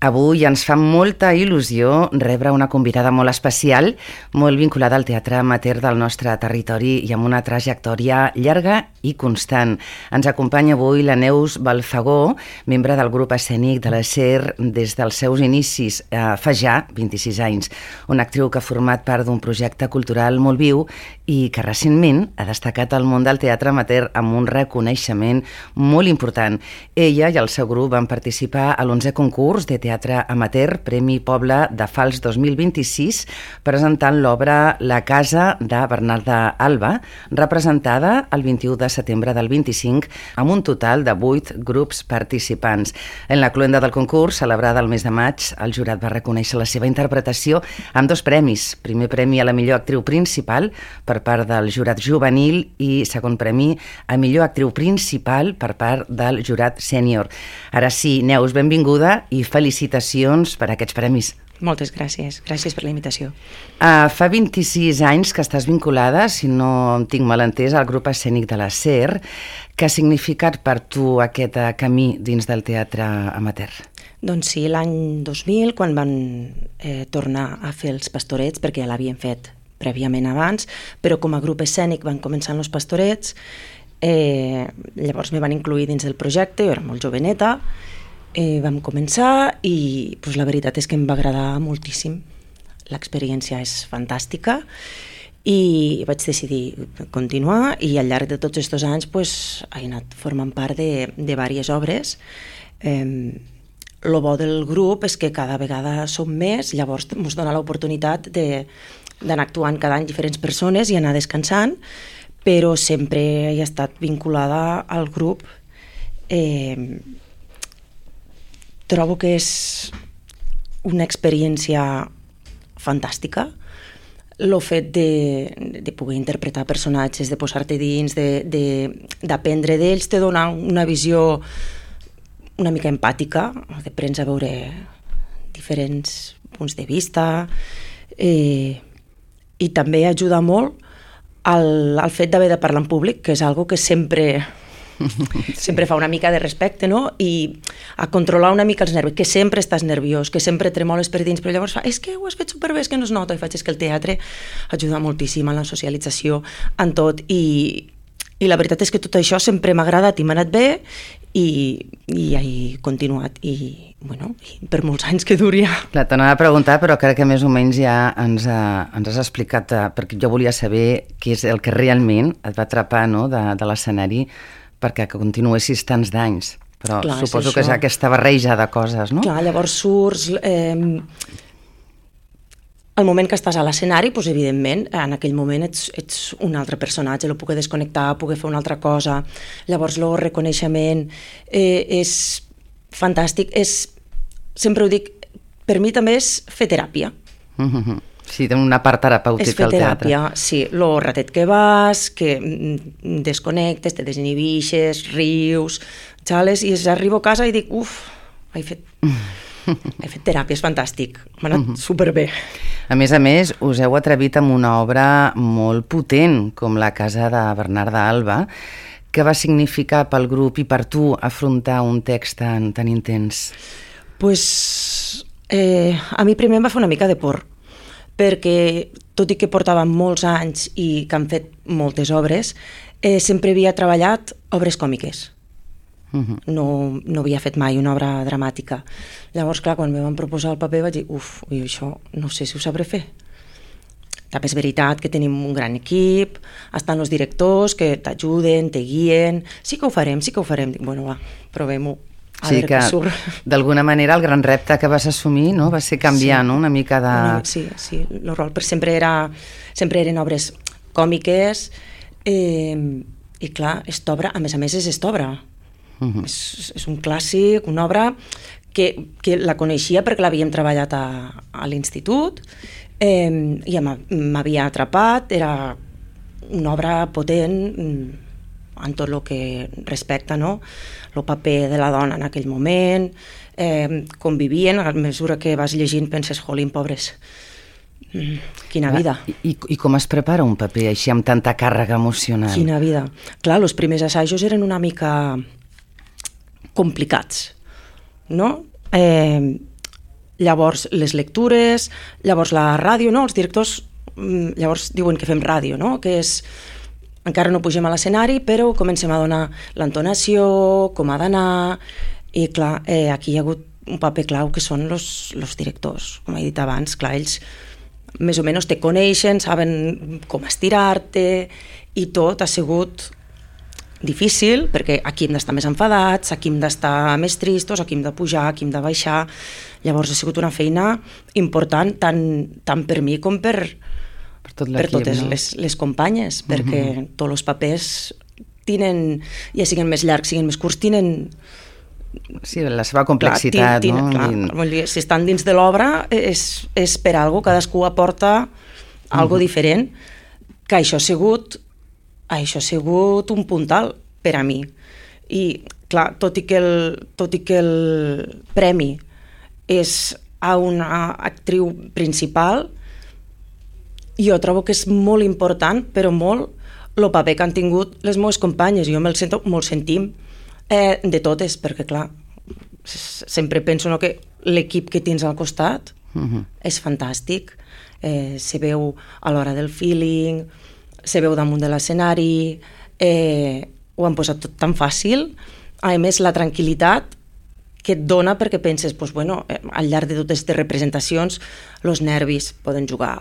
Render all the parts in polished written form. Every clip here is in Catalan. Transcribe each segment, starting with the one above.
Avui ens fa molta il·lusió rebre una convidada molt especial, molt vinculada al teatre amateur del nostre territori i amb una trajectòria llarga i constant. Ens acompanya avui la Neus Balfagó, membre del grup escènic de la SER des dels seus inicis, fa ja 26 anys. Una actriu que ha format part d'un projecte cultural molt viu i que recentment ha destacat al món del teatre amateur amb un reconeixement molt important. Ella i el seu grup van participar a l'11è concurs de teatre amateur Premi Poble de Fals 2026 presentant l'obra La casa de Bernarda Alba, representada el 21 de setembre del 25 amb un total de 8 grups participants. En la cloenda del concurs, celebrada el mes de maig, el jurat va reconèixer la seva interpretació amb 2 premis. Primer premi a la millor actriu principal per part del jurat juvenil i segon premi a millor actriu principal per part del jurat sènior. Ara sí, Neus, benvinguda i felicitacions per aquests premis. Moltes gràcies. Gràcies per la invitació. Fa 26 anys que estàs vinculada, si no em tinc mal entès, al grup escènic de la SER. Què ha significat per tu aquest camí dins del teatre amateur? Doncs sí, l'any 2000, quan van tornar a fer els pastorets, perquè ja l'havien fet prèviament abans, però com a grup escènic van començar els pastorets, llavors me van incluir dins del projecte, jo era molt joveneta, vam començar i la veritat és que em va agradar moltíssim. L'experiència és fantàstica i vaig decidir continuar i al llarg de tots aquests anys he anat formant part de diverses obres. El bo del grup és que cada vegada som més, llavors ens dona l'oportunitat d'anar actuant cada any diferents persones i anar descansant, però sempre he estat vinculada al grup. Trobo que és una experiència fantàstica, el fet de poder interpretar personatges, de posar-te dins, d'aprendre d'ells, te dona una visió una mica empàtica, de prens a veure diferents punts de vista i també ajuda molt al fet d'haver de parlar en públic, que és algo que sempre fa una mica de respecte, no? I a controlar una mica els nervis, que sempre estàs nerviós, que sempre tremoles per dins, però llavors és que ho has fet superbé, és que no es nota, i faig és que el teatre ajuda moltíssim en la socialització, en tot, i la veritat és que tot això sempre m'ha agradat i m'ha anat bé i he continuat i per molts anys que duria. Clar, t'anava a preguntar, però crec que més o menys ja ens has explicat, perquè jo volia saber què és el que realment et va atrapar, no, de l'escenari perquè continuessis tants d'anys. Però clar, suposo que és aquesta barreja de coses, no? Clar, llavors surts... Al moment que estàs a l'escenari, evidentment, en aquell moment ets un altre personatge, el poder desconnectar, poder fer una altra cosa. Llavors, el reconeixement és fantàstic. Sempre ho dic, per mi també és fer teràpia. Sí, té una part terapèutica al teatre. És fer teràpia, sí. El ratet que vas, que desconnectes, te desinhibixes, rius, xales, i arribo a casa i dic, he fet teràpia, és fantàstic, m'ha anat superbé. A més, us heu atrevit amb una obra molt potent, com La casa de Bernarda Alba. Què va significar pel grup i per tu afrontar un text tan intens? A mi primer em va fer una mica de por, perquè tot i que portàvem molts anys i que han fet moltes obres, sempre havia treballat obres còmiques. No havia fet mai una obra dramàtica. Llavors, clar, quan em van proposar el paper vaig dir, això no sé si ho sabré fer. També és veritat que tenim un gran equip, estan els directors que t'ajuden, te guien, sí que ho farem. Dic, va, provem-ho, a veure què surt. D'alguna manera el gran repte que vas assumir, no?, va ser canviar, no?, una mica de... Sí, el rol, però sempre eren obres còmiques i clar, esta obra, a més és esta obra. És un clàssic, una obra que la coneixia perquè l'havíem treballat a l'institut i m'havia atrapat, era una obra potent en tot el que respecta, no? El paper de la dona en aquell moment, com vivien, a mesura que vas llegint penses, jolín, pobres, quina vida. I com es prepara un paper així amb tanta càrrega emocional? Quina vida. Clar, els primers assajos eren una mica complicats, no? llavors les lectures, llavors la ràdio, no? Els directors llavors diuen que fem ràdio, no? Que és, encara no pugem a l'escenari, però comencem a donar l'entonació, com ha d'anar, i clar, aquí hi ha hagut un paper clau que són els directors, com he dit abans, clar, ells més o menys te coneixen, saben com estirar-te, i tot ha sigut difícil, perquè aquí hem d'estar més enfadats, aquí hem d'estar més tristos, aquí hem de pujar, aquí hem de baixar. Llavors ha sigut una feina important tant per mi com per totes les companyes, perquè tots els papers tenen, ja siguin més llargs, siguin més curts, tenen... Sí, la seva complexitat, no? Clar, si estan dins de l'obra és per algo, cadascú aporta algo diferent, que això ha sigut un puntal per a mi. I, clar, tot i que el premi és a una actriu principal, jo trobo que és molt important, però molt, el paper que han tingut les meves companyes. Jo me'l sento, molt sentim de totes, perquè, clar, sempre penso que l'equip que tens al costat és fantàstic. Se veu a l'hora del feeling, se veu damunt de l'escenari, ho han posat tot tan fàcil. A més, la tranquil·litat que et dona perquè penses, doncs, bueno, al llarg de totes les representacions, els nervis poden jugar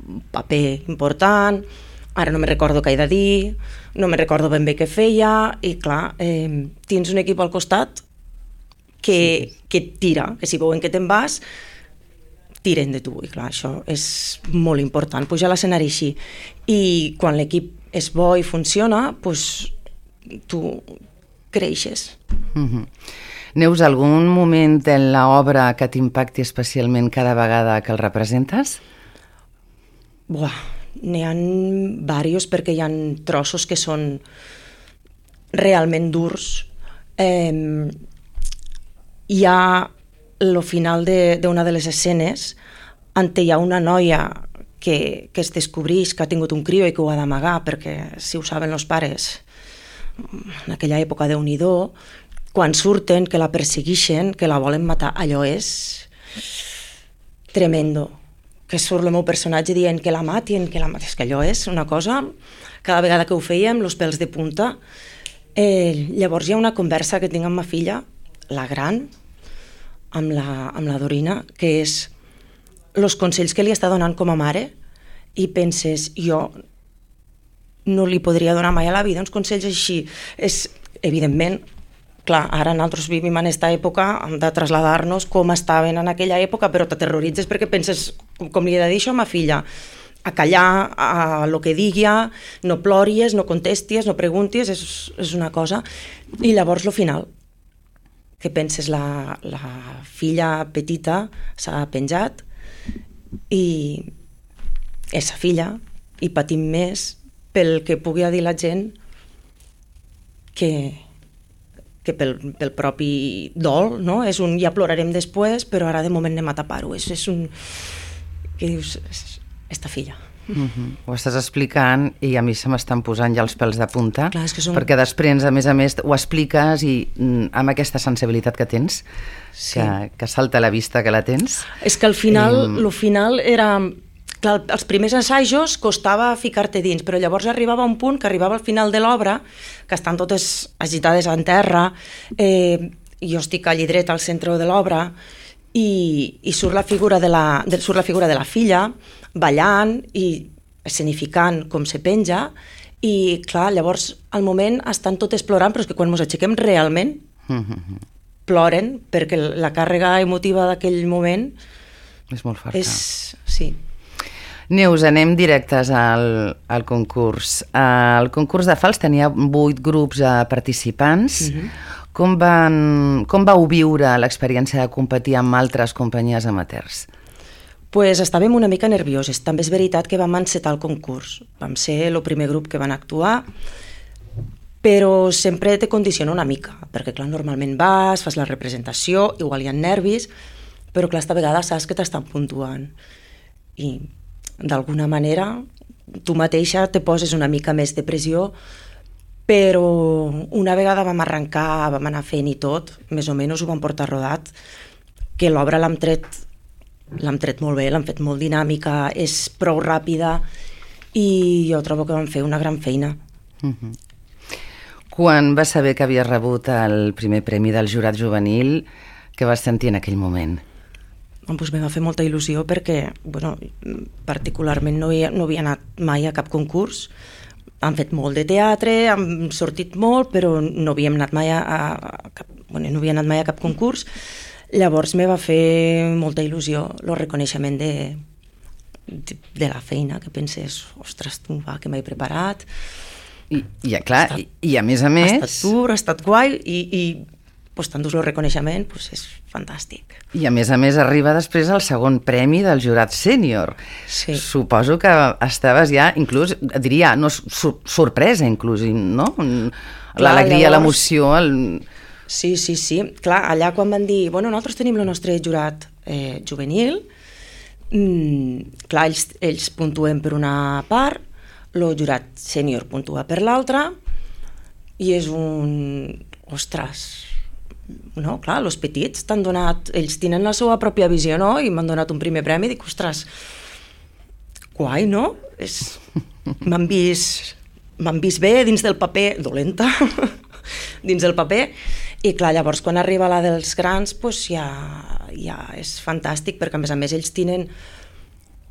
un paper important, ara no me recordo què he de dir, no me recordo ben bé què feia, i clar, tens un equip al costat que et tira, que si veuen que te'n vas, tiren de tu, i clar, això és molt important, pujar a l'escenari així. I quan l'equip és bo i funciona, doncs tu creixes. Neus, algun moment en l'obra que t'impacti especialment cada vegada que el representes? N'hi ha diversos, perquè hi ha trossos que són realment durs. Hi ha el final d'una de les escenes on hi ha una noia que es descobreix que ha tingut un crió i que ho ha d'amagar, perquè si ho saben els pares, en aquella època Déu-n'hi-do, quan surten, que la persegueixen, que la volen matar, allò és tremendo. Que surt el meu personatge dient que la matin, és que allò és una cosa, cada vegada que ho fèiem, els pèls de punta. Llavors hi ha una conversa que tinc amb ma filla, la gran, amb la Dorina, que és els consells que li està donant com a mare, i penses, jo no li podria donar mai a la vida uns consells així. És, evidentment, clar, ara nosaltres vivim en aquesta època, hem de traslladar-nos com estaven en aquella època, però t'aterroritzes perquè penses, com li he de dir això a ma filla, a callar, a lo que digui, no plories, no contestis, no preguntis, és una cosa. I llavors el final, que penses la filla petita s'ha penjat i és sa filla i patim més pel que pugui dir la gent que pel propi dol, no? És un ja plorarem després, però ara de moment anem a tapar-ho. És un... que dius, esta filla. Ho estàs explicant i a mi se m'estan posant ja els pèls de punta. Clar, perquè després, a més, ho expliques i amb aquesta sensibilitat que tens, sí, que salta a la vista que la tens. És que al final, el final era... Clar, els primers assajos costava ficar-te dins, però llavors arribava un punt que arribava al final de l'obra, que estan totes agitades en terra, jo estic allí dret al centre de l'obra, i surt la figura de la filla ballant i escenificant com se penja, i clar, llavors al moment estan totes plorant, però és que quan ens aixequem realment ploren, perquè la càrrega emotiva d'aquell moment és molt forta. Sí. Neus, anem directes al concurs. El concurs de fals tenia 8 grups participants. Com vau viure l'experiència de competir amb altres companyies amateurs? Pues estàvem una mica nervioses. També és veritat que vam encetar el concurs. Vam ser el primer grup que van actuar, però sempre te condiciona una mica, perquè clar, normalment fas la representació, igual hi ha nervis, però clar, esta vegada saps que t'estan puntuant. I d'alguna manera tu mateixa te poses una mica més de pressió, però una vegada vam arrencar, vam anar fent i tot, més o menys ho vam portar rodat, que l'obra l'hem tret molt bé, l'hem fet molt dinàmica, és prou ràpida i jo trobo que vam fer una gran feina. Quan vas saber que havies rebut el primer premi del jurat juvenil, què vas sentir en aquell moment? Doncs me va fer molta il·lusió perquè, particularment no havia anat mai a cap concurs. Hem fet molt de teatre, hem sortit molt, però no havíem anat mai a cap concurs. Llavors me va fer molta il·lusió el reconeixement de la feina, que penses, ostres, tu, va, que m'he preparat. I a més a més... Ha estat dur, ha estat guai i t'endús el reconeixement, és fantàstic. I a més arriba després el segon premi del jurat sènior. Sí. Suposo que estaves ja, inclús, diria, no, sorpresa inclús, no? L'alegria, l'emoció... Sí. Clar, allà quan van dir, nosaltres tenim el nostre jurat juvenil, clar, ells puntuen per una part, el jurat sènior puntua per l'altra, i és ostres, no? Clar, els petits t'han donat, ells tenen la seva pròpia visió, no? I m'han donat un primer premi, dic, ostres, guai, no? M'han vist bé dins del paper, dolenta, dins del paper, i clar, llavors quan arriba la dels grans, ja és fantàstic, perquè a més ells tenen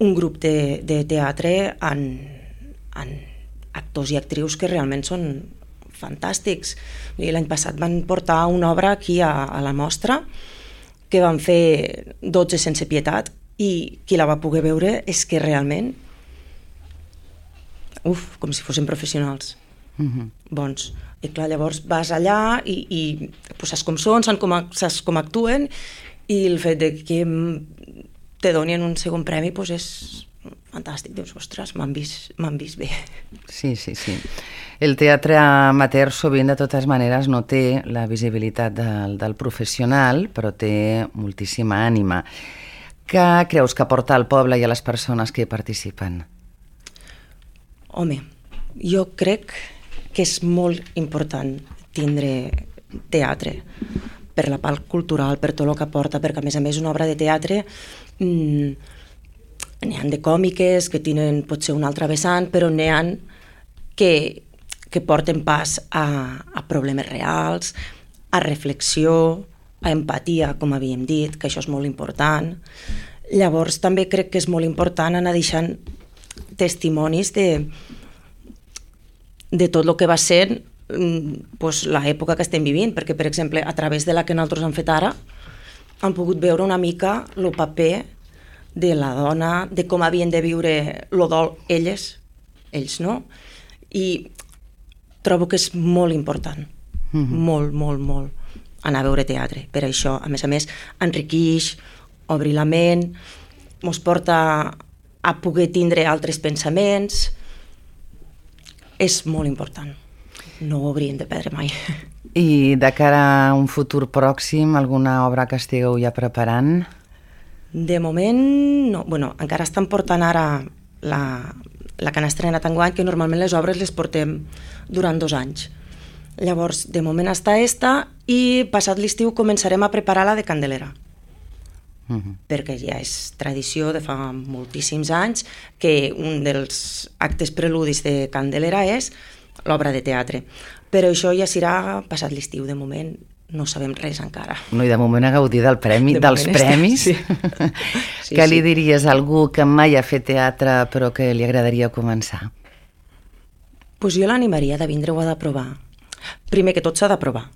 un grup de teatre en actors i actrius que realment són fantàstics. L'any passat van portar una obra aquí a la mostra que van fer 12 sense pietat i qui la va poder veure és que realment com si fossin professionals bons. I clar, llavors vas allà i saps com són, saps com actuen, i el fet de que te donin un segon premi és fantàstic. Dius, ostres, m'han vist bé. Sí. El teatre amateur sovint, de totes maneres, no té la visibilitat del professional, però té moltíssima ànima. Què creus que aporta al poble i a les persones que hi participen? Home, jo crec que és molt important tindre teatre per la part cultural, per tot el que aporta, perquè a més una obra de teatre n'hi ha de còmiques que tenen potser un altre vessant, però n'hi ha que porten pas a problemes reals, a reflexió, a empatia, com havíem dit, que això és molt important. Llavors també crec que és molt important anar deixant testimonis de tot el que va ser l'època que estem vivint, perquè, per exemple, a través de la que nosaltres hem fet ara, hem pogut veure una mica el paper de la dona, de com havien de viure el dol ells, no? I trobo que és molt important, molt, anar a veure teatre. Per això, a més, enriqueix, obrir la ment, ens porta a poder tindre altres pensaments. És molt important. No ho hauríem de perdre mai. I de cara a un futur pròxim, alguna obra que estigueu ja preparant? De moment, no. Encara estan portant ara la que han estrenat enguany, que normalment les obres les portem durant 2 anys. Llavors, de moment està esta, i passat l'estiu començarem a preparar la de Candelera. Perquè ja és tradició de fa moltíssims anys que un dels actes preludis de Candelera és l'obra de teatre. Però això ja serà passat l'estiu. De moment no sabem res encara. No, i de moment a gaudir dels premis. Sí. Què li diries a algú que mai ha fet teatre però que li agradaria començar? Jo l'animaria de vindre-ho a d'aprovar. Primer que tot s'ha d'aprovar.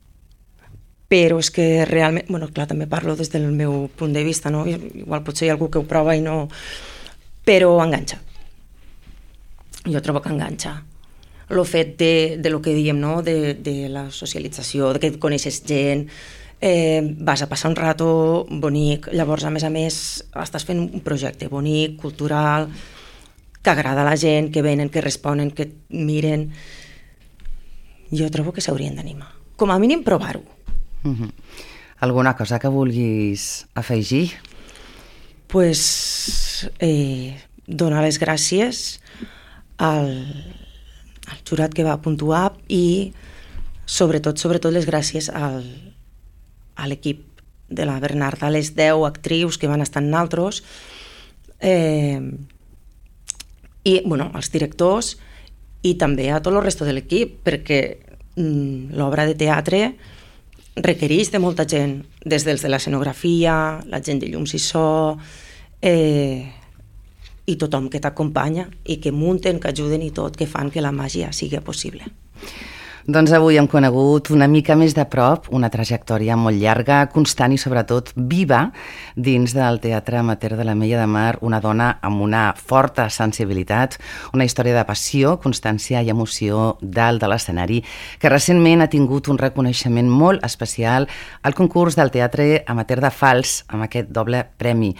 Però és que realment, clar, també parlo des del meu punt de vista, no? Igual potser hi ha algú que ho prova i no... Però enganxa. Jo trobo que enganxa. El fet de lo que diem, no? De la socialització, de que coneixes gent, vas a passar un rato bonic, llavors, a més, estàs fent un projecte bonic, cultural, que agrada a la gent, que venen, que responen, que et miren. Jo trobo que s'haurien d'animar. Com a mínim, provar-ho. Alguna cosa que vulguis afegir? Donar les gràcies al jurat que va puntuar i sobretot les gràcies a l'equip de la Bernarda, les 10 actrius que van estar en altres, i als directors i també a tot el resto de l'equip, perquè l'obra de teatre requereix de molta gent, des dels de l'escenografia, la gent de llums i so, i tothom que t'acompanya i que munten, que ajuden i tot, que fan que la màgia sigui possible. Doncs avui hem conegut una mica més de prop una trajectòria molt llarga, constant i sobretot viva dins del Teatre Amateur de l'Ametlla de Mar, una dona amb una forta sensibilitat, una història de passió, constància i emoció dalt de l'escenari, que recentment ha tingut un reconeixement molt especial al concurs del Teatre Amateur de Fals amb aquest doble premi.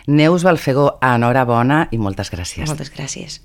Neus Balfegó, enhorabona i moltes gràcies. Moltes gràcies.